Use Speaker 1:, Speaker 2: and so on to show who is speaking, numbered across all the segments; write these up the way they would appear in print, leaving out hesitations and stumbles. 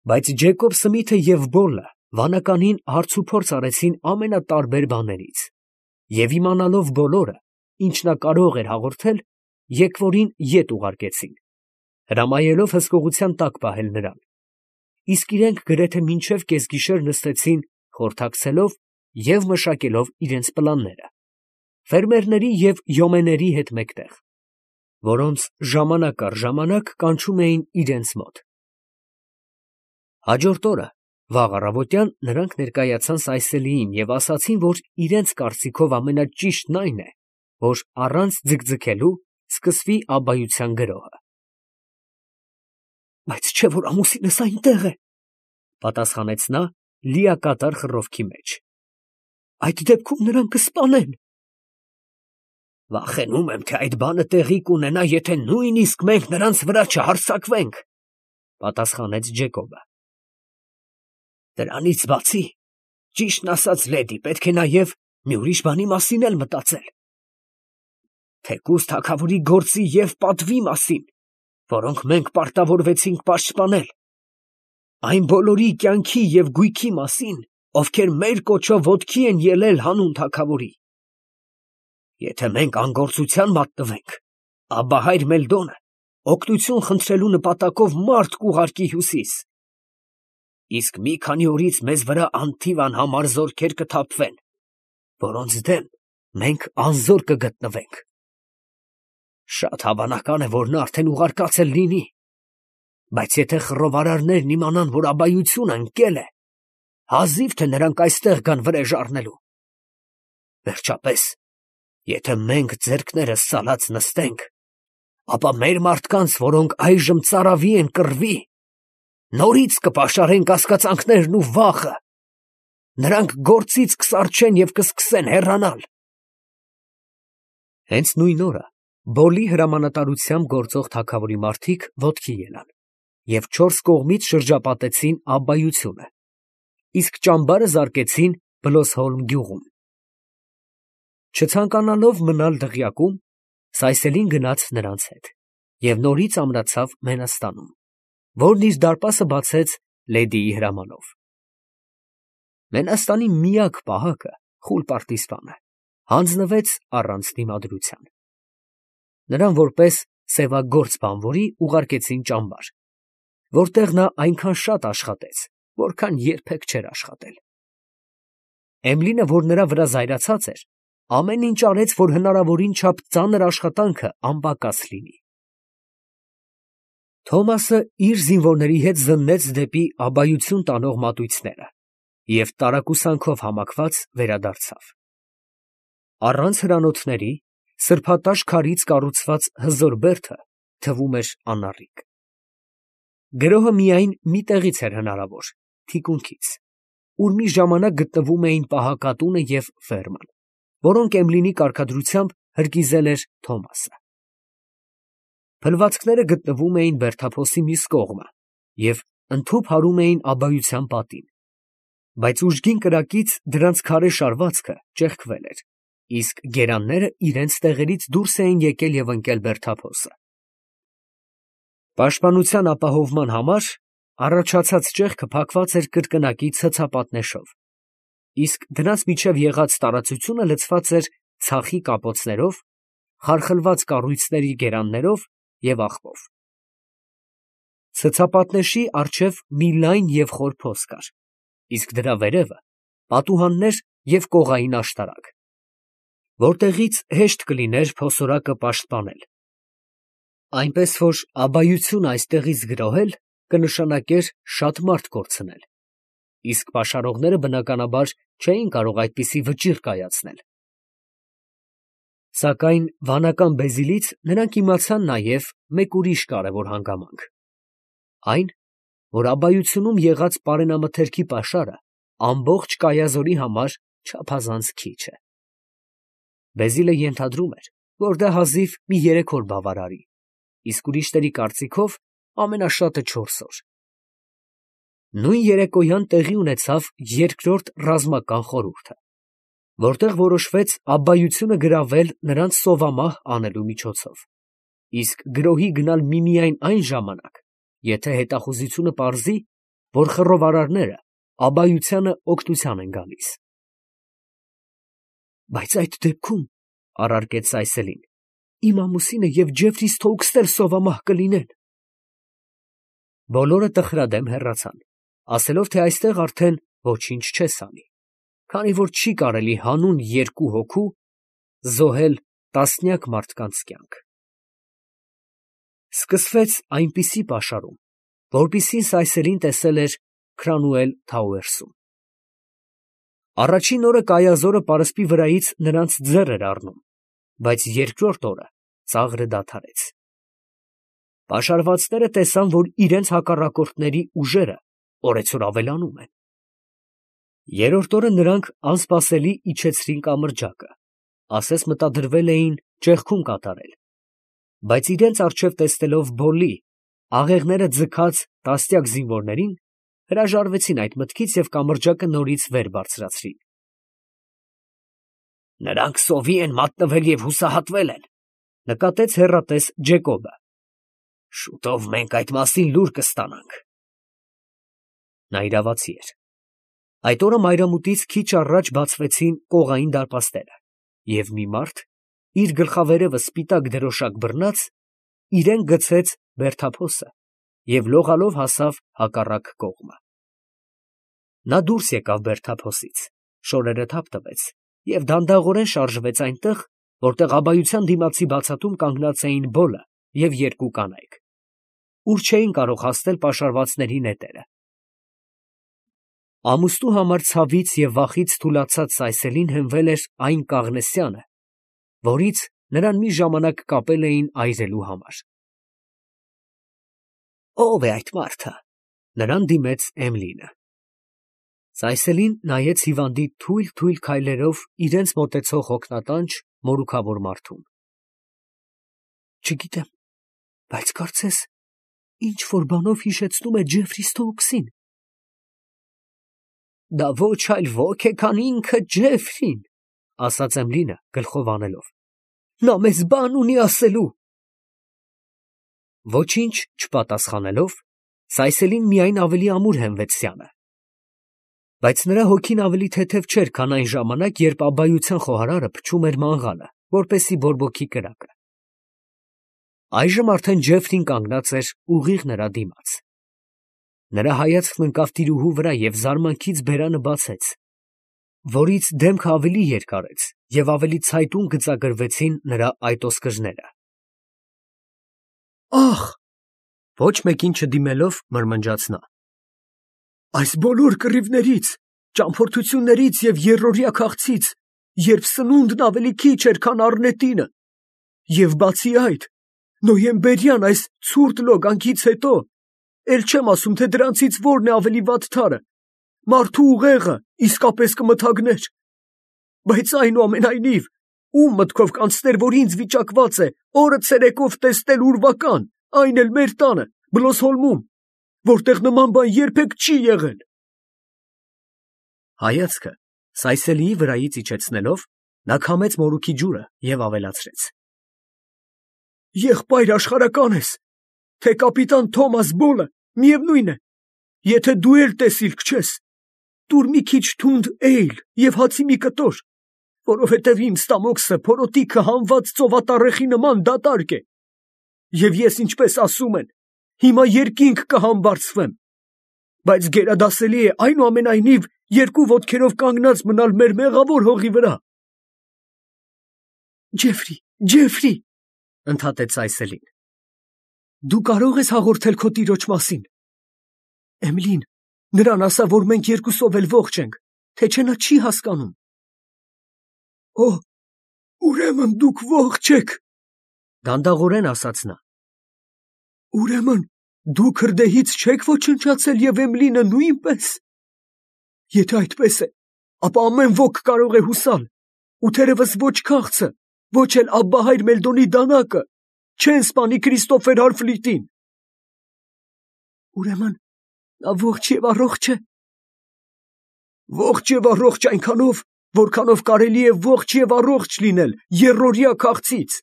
Speaker 1: Բայց Ջեկոբ Սմիթը և Բոլը վանականին հարցուփորձ արեցին ամենատարբեր բաներից, և իմանալով բոլորը, ինչ նա կարող էր հաղորդել, եկվորին ետ ուղարկեցին, հրամայելով հսկողության տակ պահել նրան, իսկ իրենք գրեթե մինչև կեսգիշեր նստեցին, խորհրդակցելով և մշակելով իրենց պլանները, ֆերմերների և յոմեների հետ մեկտեղ, որոնց ժամանակ առ ժամանակ կանչում էին իրենց մոտ։ Հաջորդ օրը վաղ առավոտյան նրանք ներկայացան Սայսելիին և ասացին, որ իրենց կարծիքով ամենաճիշտն այն է, որ առանց ձգձգելու սկսվի աբայության գրոհը։ «Բայց չէ՞ որ ամուսինս այնտեղ է, ֊ պատասխանեց նա լիակատար խռովքի մեջ, ֊ այդ դեպքում նրան կսպանեն»։ «Վախենում եմ, թե այդ բանը տեղի կունենա, եթե նույնիսկ մենք նրանց վրա չհարձակվենք, ֊ պատասխանեց Ջեկոբը։ Դրանից բացի, ճիշտն ասած, լեդի, պետք է նաև մի ուրիշ բանի մասին էլ մտածել. թեկուզ թագավորի գործի և պատվի մասին, որոնք մենք պարտավորվեցինք պաշտպանել, այն բոլորի կյանքի և գույքի մասին, ովքեր մեր կոչով ոտքի են ելել հանուն թագավորի։ Եթե մենք անգործության մատնվենք, ապա հայր Մելդոնը օգնություն խնդրելու նպատակով մարդ կուղարկի հյուսիս, իսկ մի քանի օրից մեզ վրա անթիվ անհամար զորքեր կթափվեն, որոնց դեմ մենք անզոր կգտնվենք։ Շատ հավանական է, որ նա արդեն ուղարկած էլ լինի, բայց եթե խռովարարներն իմանան, որ աբայությունը ընկել է, հազիվ թե նրանք այստեղ գան վրեժ առնելու։ Վերջապես, եթե մենք ձեռքներս սալած նստենք, ապա մեր մարդկանց, որոնք այժմ ծարավի են կռվի, նորից կպաշարեն կասկածանքներն ու վախը, նրանք գործից կսառչեն և կսկսեն հեռանալ»։ Հենց նույն օրը Բոլի հրամանատարությամբ գործող թագավորի մարդիկ ոտքի ելան և չորս կողմից շրջապատեցին աբայությունը, իսկ ճամբարը զարկեցին Բլոսհոլմ գյուղում։ Չցանկանալով մնալ դղյակում, Սայսելին գնաց նրանց հետ և նորից ամրացավ Մենաստանում, որն իր դարպասը բացեց լեդիի հրամանով։ Մենաստանի միակ պահակը խուլ պարտիզպանը հանձնվեց առանց դիմադրության։ Նրան որպես սևագործ բանվորի ուղարկեցին ճամբար, որտեղ նա այնքան շատ աշխատեց, որքան երբեք չէր աշխատել։ Էմլինը, որ նրա վրա զայրացած էր, ամեն ինչ արեց, որ հնարավորին չափ ծանր աշխատանքը անպակաս լինի։ Թոմասը իր զինվորների հետ զննեց դեպի աբայություն տանող մատույցները և տարակուսանքով համակված վերադարձավ։ Առանց հրանոթների սրբատաշ քարից կառուցված հզոր բերդը թվում էր անառիկ։ Գրոհը միայն մի տեղից էր հնարավոր, թիկունքից, ուր մի ժամանակ գտնվում էին պահակատունը և ֆերման, որոնք Էմլինի կարգադրությամբ հրկիզել էր Թոմասը։ Փլվածքները գտնվում էին բերդափոսի մյուս կողմը և ընդհուպ հարում էին աբայության պատին, բայց ուժգին կրակից դրանց քարե շարվածքը ճեղքվել էր, իսկ գերանները իրենց տեղերից դուրս էին եկել և ընկել բերդափոսը։ Պաշտպանության ապահովման համար առաջացած ճեղքը փակված էր կրկնակի ցցապատնեշով, իսկ դրանց միջև եղած տարածությունը լցված էր ցախի կապոցներով, խարխլված կառույցների գերաններով և աղբով։ Ցցապատնեշի առջև մի լայն և խոր փոս կար, իսկ դրա վերևը պատուհաններ և կողային աշտարակ, որտեղից հեշտ կլիներ փոսորակը պաշտպանել, այնպես որ աբայությունը այստեղից գրոհել կնշանակեր շատ մարդ կորցնել, իսկ պաշարողները բնականաբար չէին կարող այդպիսի վճիռ կայացնել։ Սակայն վանական Բեզիլից նրանք իմացան նաև մեկ ուրիշ կարևոր հանգամանք, այն, որ աբայությունում եղած պարենամթերքի պաշարը ամբողջ Կայազորի համար չափազանց քիչ է։ Բեզիլը ենթադրում էր, որ դա հազիվ մի 3 օր բավարարի, իսկ ուրիշների կարծիքով ամենաշատը 4 օր։ Նույն երեկոյան տեղի ունեցավ երկրորդ ռազմական խորհուրդը, որտեղ որոշվեց աբայությունը գրավել նրանց սովամահ անելու միջոցով, իսկ գրոհի գնալ միմիայն այն ժամանակ, եթե հետախուզությունը պարզի, որ խռովարարները աբայությանը օգնության են գալիս։ Բայց այդ դեպքում, առարկեց Սայսելին, իմ ամուսինը և Ջեֆրի Սթոուքսն էլ սովամահ կլինեն։ Բոլորը տխրադեմ հեռացան, ասելով, թե այստեղ արդեն ոչինչ չես անի, քանի որ չի կարելի հանուն երկու հոգու զոհել տասնյակ մարդկանց կյանք։ Սկսվեց այնպիսի պաշարում, որպիսին Սայսելին տեսել էր Քրանուել Թաուերսում։ Առաջին օրը կայազորը պարսպի վրայից նրանց ձեռ էր առնում, բայց երկրորդ օրը ծաղրը դադարեց։ Պաշարվածները տեսան, որ իրենց հակառակորդների ուժերը օրեցօր ավելանում են։ Երրորդ օրը նրանք անսպասելի իջեցրին կամրջակը, ասես մտադրվել էին ճեղքում կատարել, բայց իրենց առջև տեսնելով բոլի, աղեղները ձգած տասնյակ զինվորներին, հրաժարվեցին այդ մտքից և կամրջակը նորից վեր բարձրացրին։ Նրանք սովի են մատնվել և հուսահատվել են, նկատեց հեռատես Ջեկոբը։ Շուտով մենք այդ մասին լուր կստանանք։ Նա իրավացի էր։ Այդ օրը մայրամուտից քիչ առաջ բացվեցին կողային դարպասները, և մի մարդ, իր գլխավերևը սպիտակ դրոշակ բռնած, իրեն գցեց բերդափոսը և լողալով հասավ հակառակ կողմը։ Նա դուրս եկավ բերդափոսից, շորերը թափ տվեց և դանդաղորեն շարժվեց այնտեղ, որտեղ աբայության դիմացի բացատում կանգնած էին Բոլը և երկու կանայք, ուր չէին կարող հասնել պաշարվածների նետերը։ Ամուսնու համար ցավից և վախից թուլացած Սայսելին հենվել էր այն կաղնեսյանը, որից նրան մի ժամանակ կապել էին այրելու համար։ Ո՞վ է այդ մարդը, նրան դիմեց Էմլինը։ Սայսելին նայեց հիվանդի թույլ քայլերով իրենց մոտեցող հոգնատանջ, մորուքավոր մարդուն։ Չգիտեմ, բայց կարծես ինչ որ բանով հիշեցնում է Ջեֆրի Սթոուքսին։ Դա ոչ այլ ոք է, քան ինքը Ջեֆրին, ասաց Էմլինը գլխով անելով։ Նա մեզ բան ունի ասելու։ Ոչինչ չպատասխանելով, Սայսելին միայն ավելի ամուր հենվեց սյանը։ Բայց նրա հոգին ավելի թեթև չէր, քան այն ժամանակ, երբ աբայության խոհարարը փչում էր մանգանը, որպեսզի բորբոքի կրակը։ Այժմ արդեն Ջեֆրին կանգնած էր ուղիղ նրա դիմաց։ Նրա հայացքն ընկավ տիրուհու վրա և զարմանքից բերանը բացեց, որից դեմքը ավելի երկարեց և ավելի ցայտուն գծագրվեցին նրա այտոսկրները։ Ախ, ոչ մեկին չդիմելով մրմնջաց նա։ Այս բոլոր կռիվներից, ճամփորդություններից և եռօրյա քաղցից, երբ սնունդն ավելի քիչ էր, քան առնետինը, և բացի այդ, նոյեմբերյան այս ցուրտ լոգանքից հետո, էլ չեմ ասում, թե դրանցից որն է ավելի վատ թարը, մարդու ուղեղը իսկապես կմթագներ։ Բայց այնուամենայնիվ, ում մտքով կանցներ, որ ինձ վիճակված է օրը ցերեկով տեսնել ուրվական, այն էլ մեր տանը, Բլոսհոլմում, որտեղ նման բան երբեք չի եղել։ Հայացքը Սայսելիի վրայից իջեցնելով, նա քամեց մորուքի ջուրը և ավելացրեց. Եղբայր աշխարհական ես, թե կապիտան Թոմաս Բոլը, միևնույն է, եթե դու էլ տեսիլք չես, տուր մի քիչ թունդ էյլ և հացի մի կտոր, որովհետև իմ ստամոքսը փորոտիքը հանված ծովատառեխի նման դատարկ է, և ես, ինչպես ասում են, հիմա երկինք կհամբարձվեմ, բայց գերադասելի է այնուամենայնիվ երկու ոտքերով կանգնած մնալ մեր մեղավոր հողի վրա։ Ջեֆրի, ընդհատեց Սայսելին, դու կարող ես հաղորդել քո տիրոջ մասին։ Էմլին, նրան ասա, որ մենք երկուսով էլ ողջ ենք, թե չէ նա չի հասկանում։ Օ, ուրեմն դուք ողջ եք, դանդաղորեն ասաց նա։ Ուրեմն դու քրդեհից չեք ոչնչացել և Էմլինը նույնպես։ Եթե այդպես է, ապա ամեն ոք կարող է հուսալ, ու թերևս ոչ քաղցը, ոչ էլ Աբբահայր Մելդոնի դանակը չեն սպանի Քրիստոֆեր Հարֆլիտին։ Ուրեմն նա ողջ և առողջ է։ Ողջ և առողջ այնքանով, որքանով կարելի է ողջ և առողջ լինել եռօրյա քաղցից,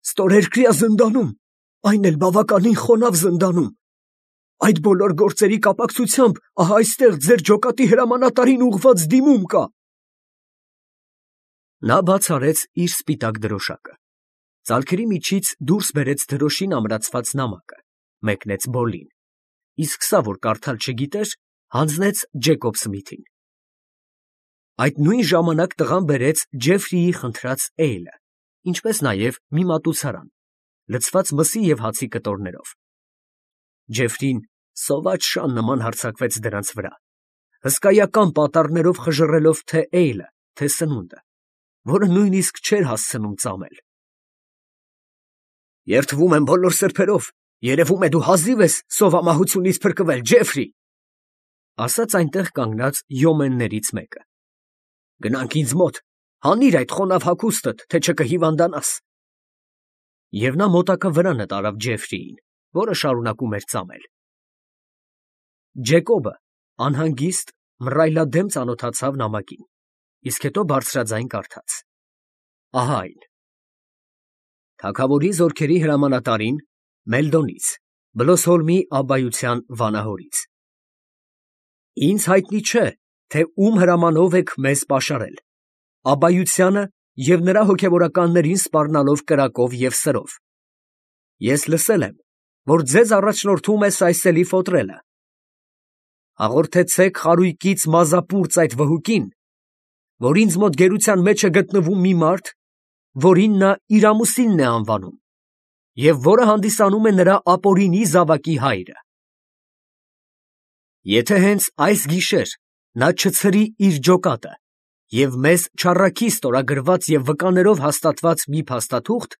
Speaker 1: ստորերկրյա զնդանում, այն էլ բավականին խոնավ զնդանում, Այդ բոլոր գործերի կապակցությամբ ահա այստեղ ձեր ջոկատի հրամանատարին ուղված դիմում կա։ Նա բաց արեց իր սպիտակ դրոշակը, ծալքերի միջից դուրս բերեց դրոշին ամրացված նամակը, մեկնեց Բոլլին, իսկ սա, որ կարդալ չգիտեր, հանձնեց Ջեկոբ Սմիթին։ Այդ նույն ժամանակ տղան բերեց Ջեֆրիի խնդրած էյլը, ինչպես նաև մի մատուցարան, լցված մսի և հացի կտորներով։ Ջեֆրին սոված շան նման հարձակվեց դրանց վրա, հսկայական պատառներով խժռելով թե էյլը, թե սնունդը, որը նույնիսկ չէր հասցնում ծամել։ Երդվում եմ բոլոր սրբերով, երևում է դու հազիվ ես սովամահությունից փրկվել, Ջեֆրի, ասաց այնտեղ կանգնած յոմեններից մեկը։ Գնանք ինձ մոտ, հանիր այդ խոնավ հագուստդ, թե չկհիվանդանաս։ Եվ նա մոտակա վրանը տարավ Ջեֆրիին, որը շարունակում էր ծամել։ Ջեկոբը անհանգիստ մռայլադեմ ծանոթացավ նամակին, իսկ հետո բարձրաձայն կարդաց. ահա այն. Թագավորի զորքերի հրամանատարին Մելդոնից, Բլոսհոլմի աբբայության վանահորից։ Ինձ հայտնի չէ, թե ում հրամանով եք մեզ պաշարել, աբբայությանը և նրա հոգևորականներին սպառնալով կրակով և սրով։ Ես լսել եմ, որ ձեզ առաջնորդում է Սայսելի Ֆոտրելը։ Հաղորդեցեք խարույկից մազապուրծ այդ վհուկին, որ ինձ մոտ գերության մեջ է գտնվում մի մարդ, որին նա իր ամուսինն է անվանում, և որը հանդիսանում է նրա ապօրինի զավակի հայրը։ Եթե հենց այս գիշեր նա չցրի իր ջոկատը և մեզ չառաքի ստորագրված և վկաներով հաստատված մի փաստաթուղթ,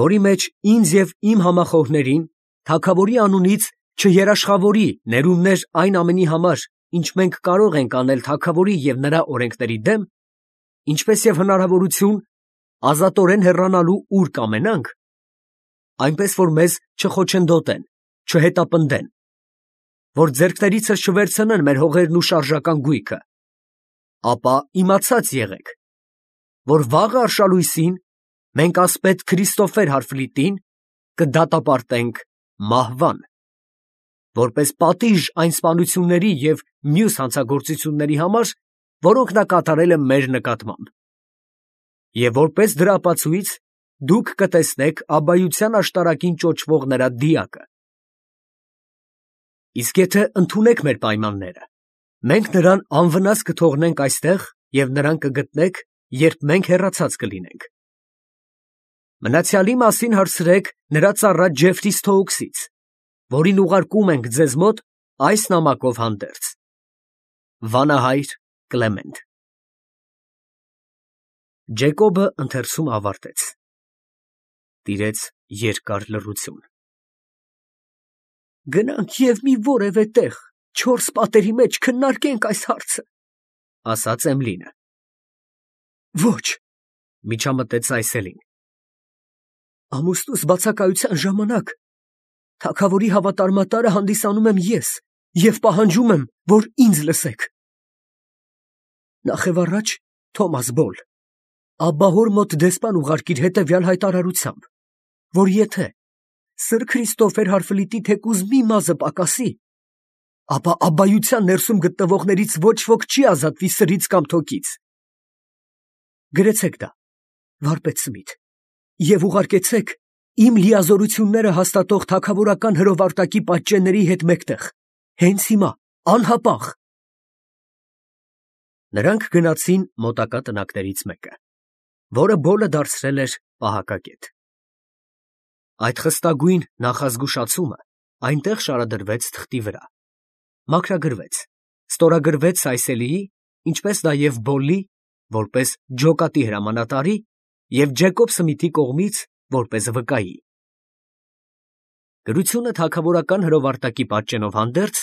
Speaker 1: որի մեջ ինձ և իմ համախոհներին թագավորի անունից չերաշխավորի ներումներ այն ամենի համար, ինչ մենք կարող ենք անել թագավորի և նրա օրենքների դեմ, ինչպես և հնարավորություն ազատորեն հեռանալու ուր կամենանք, այնպես որ մեզ չխոչընդոտեն, չհետապնդեն, որ ձեռքներիցս չվերցնեն մեր հողերն ու շարժական գույքը, ապա իմացած եղեք, որ վաղը արշալույսին մենք ասպետ Քրիստոֆեր Հարֆլիտին կդատապարտենք մահվան, որպես պատիժ այն սպանությունների և մյուս հանցագործությունների համար, որոնք նա կատարել է մեր նկատմամբ, և որպես դրա ապացույց դուք կտեսնեք աբբայության աշտարակին ճոճվող նրա դիակը։ Իսկ եթե ընդունեք մեր պայմանները, մենք նրան անվնաս կթողնենք այստեղ և նրան կգտնեք, երբ մենք հեռացած կլինենք։ Մնացյալի մասին հարցրեք նրա ծառա Ջեֆրի Սթոուքսից, որին ուղարկում ենք ձեզ մոտ այս նամակով հանդերձ։ Վանահայր Կլեմենտ։ Ջեկոբը ընթերցումը ավարտեց։ Տիրեց երկար լռություն։ Գնանք և մի որևէ տեղ, չորս պատերի մեջ քննարկենք այս հարցը, ասաց Էմլինը։ Ոչ, միջամտեց Սայսելին։ Ամուսնուս բացակայության ժամանակ թագավորի հավատարմատարը հանդիսանում եմ ես և պահանջում եմ, որ ինձ լսեք։ Նախևառաջ Թոմաս Բոլ, Աբբահոր մոտ դեսպան ուղարկիր հետևյալ հայտարարությամբ, որ եթե Սր Քրիստոֆեր Հարֆլիտի թեկուզ մի մազը պակասի, ապա աբբայության ներսում գտնվողներից ոչ ոք չի ազատվի սրից կամ թոքից։ Գրեցեք դա, վարպետ Սմիթ, և ուղարկեցեք իմ լիազորությունները հաստատող թագավորական հրովարտակի պատճենների հետ մեկտեղ, հենց հիմա, անհապաղ։ Նրանք գնացին մոտակա տնակներից մեկը, որը Բոլը դարձրել էր պահակակետ։ Այդ խստագույն նախազգուշացումը այնտեղ շարադրվեց թղթի վրա, մաքրագրվեց, ստորագրվեց Սայսելիի, ինչպես նաև Բոլլի, որպես ջոկատի հրամանատարի և Ջեկոբ Սմիթի կողմից, որպես վկայի։ Գրությունը թագավորական հրովարտակի պատճենով հանդերձ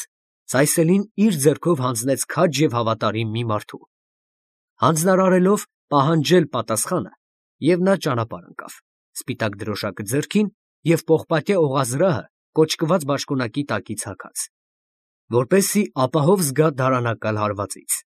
Speaker 1: Սայսելին իր ձեռքով հանձնեց քաջ և հավատարիմ մի մարդու, հանձնարարելով պահանջել պատասխանը, և նա ճանապարհ ընկավ, սպիտակ դրոշակը ձեռքին և պողպատյա օղազրահը կոճկված բաճկոնակի տակից հագած, որպեսզի ապահով զգա դարանակալ հարվածից։